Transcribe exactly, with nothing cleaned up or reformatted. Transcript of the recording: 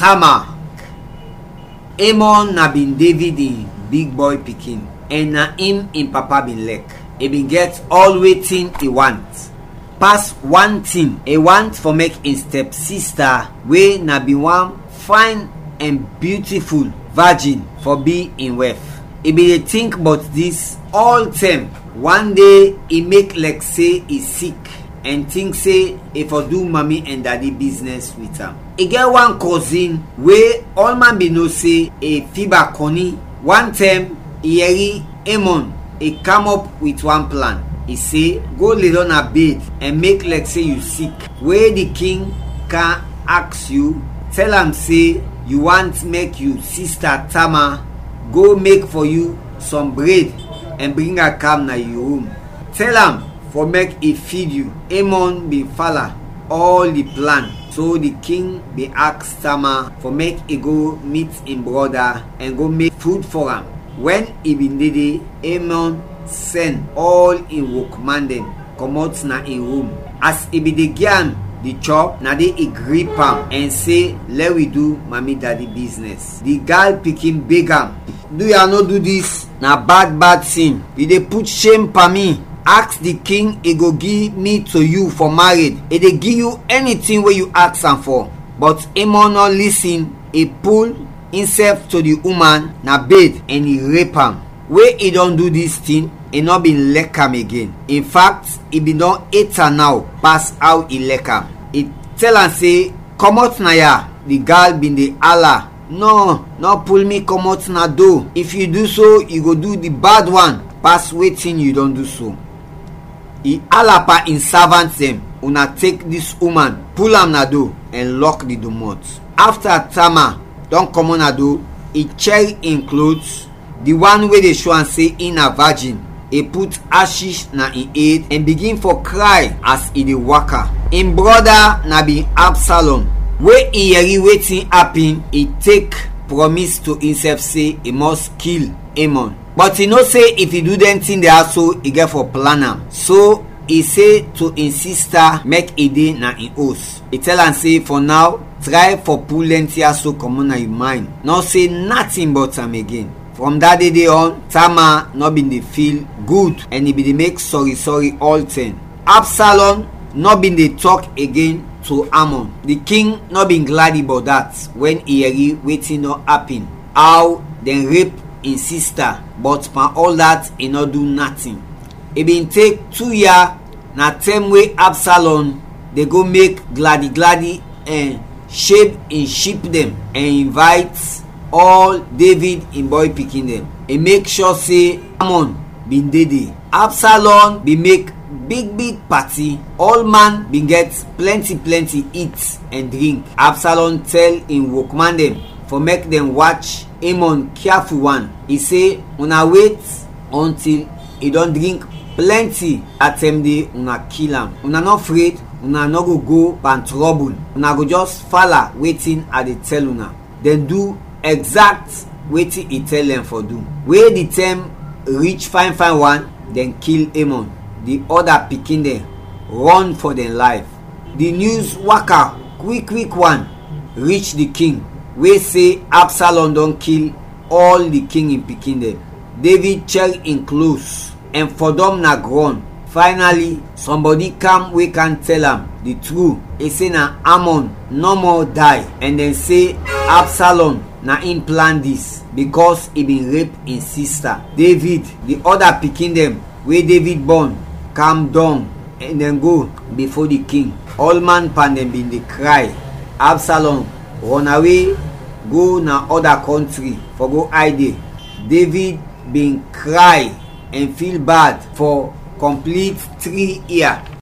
Tamar. Amnon na bin David in big bɔy pikin, ɛn na im in papa bin lɛk. I bin gɛt ɔl wetin i want. Pas wan tin, i want fɔ mek in stɛpsista, we na bin wan fayn ɛn biutiful vajin, fɔ bi in wɛf. I bin de tink bɔt dis ɔltɛm. Wan de, i mek lɛk se i sik ɛn tink se i fɔ du mami ɛn dadi biznɛs wit am. I gɛt wan kɔzin we ɔlman bin no se i fiba kɔni. Wan tɛm, i yɛri Amnon i kam ɔp wit wan plan. I se, "Go ledɔm na bed ɛn mek lɛk se yu sik. We di king kam aks yu, tɛl am se yu want mek yu sista Tamar go mek fɔ yu sɔm bred ɛn bring am kam na yu rum. Tɛl am fɔ mek i fid yu." Amnon bin fala ɔl di plan. So di king bin aks Tamar fɔ mek i go mit in brɔda ɛn go mek fud fɔ am. Wɛn i bin de de, Amnon sɛn ɔl in wokman dɛn kɔmɔt na in rum. As i bin de gi am di chɔp, na de i grip am ɛn se, "Lɛ wi du mami dadi biznɛs." Di gal pikin beg am, "Duya, nɔ du dis, na bad bad sin. Yu de put shem pan mi. Aks di king, i go gi mi to yu fɔ mared. I de gi yu ɛni tin we yu aks am fɔ." Bɔt Amnon nɔ lisin, i pul insɛf to di uman na bed ɛn i rep am. We i dɔn du dis tin, i nɔ bin lɛk am igen. In fact, i bin dɔn et am naw pas aw i lɛk am. I tɛl am se, "Kɔmɔt na ya!" Di gal bin de ala, "Nɔ, nɔ pul mi kɔmɔt na do. If yu du so, yu go du di bad wan pas wetin yu dɔn du so." I ala pan in savant dɛn, "Una tek dis uman, pul am na do, ɛn lɔk di domɔt." Afta Tamar dɔn kɔmɔt na do, i chɛr in klot, di wan we de sho am se in na vajin, i put ashish na in ed ɛn bigin fɔ kray as i de waka. In brɔda na bin Absalɔm. We i yɛri wetin apin, i tek prɔmis to insɛf se i mɔs kil Amnon. Bɔt i no se if i du dɛn tin de ya so, i gɛt fɔ plan am. So i se to in sista mek i de na in os. I tɛl am se fɔ naw, tray fɔ pul dɛn tin ya so kɔmɔt na yu maynd. Nɔ se natin bɔt am igen. Frɔm da de de ɔn, Tamar nɔ bin de fil gud ɛn i bin de mek sɔri sɔri ɔltɛm. Absalɔm nɔ bin de tɔk agen to Amnon. Di king nɔ bin gladi bɔt dat wɛn i yɛri wetin dɔn apin, aw dɛn rep in sista, bɔt pan ɔl dat i nɔ du natin. I bin tek tu yia na tɛm we Absalɔm de go mek gladi gladi ɛn sheb in ship dɛn ɛn invayt ɔl Devid in bɔy pikin dɛn. I mek shɔ se Amnon bin de de. Absalɔm bin mek big big pati, ɔlman bin gɛt plɛnti plɛnti it ɛn drink. Absalɔm tɛl in wokman dɛn fɔ mek dɛn wach Amnon kiaful wan. I se, "Una wet ɔntil i dɔn drink plɛnti, da tɛm de una kil am. Una nɔ fred, una nɔ go go pan trɔbul, una go jɛs fala wetin a de tɛl una." Dɛn du ɛgzat wetin i tɛl dɛn fɔ du. We di tɛm rich fayn fayn wan, dɛn kil Amnon. Di ɔda pikin dɛn rɔn fɔ dɛn layf. Di nyus waka kwik kwik wan rich di king, we se Absalɔm dɔn kil ɔl di king in pikin dɛn. Devid chɛr in klos ɛn fɔdɔm na grɔn. Faynali, sɔmbɔdi kam we kam tɛl am di tru. I se na Amnon nɔmɔ day, ɛn dɛn se Absalɔm na in plan dis, bikɔs i bin rep in sista. Devid, di ɔda pikin dɛn we Devid bɔn, kam dɔng ɛn dɛn go bifo di king. Ɔlman pan dɛn bin de kray. Absalɔm rɔnawe go na ɔda kɔntri fɔ go ayd de. Devid bin kray ɛn fil bad fɔ kɔmplit tri ia.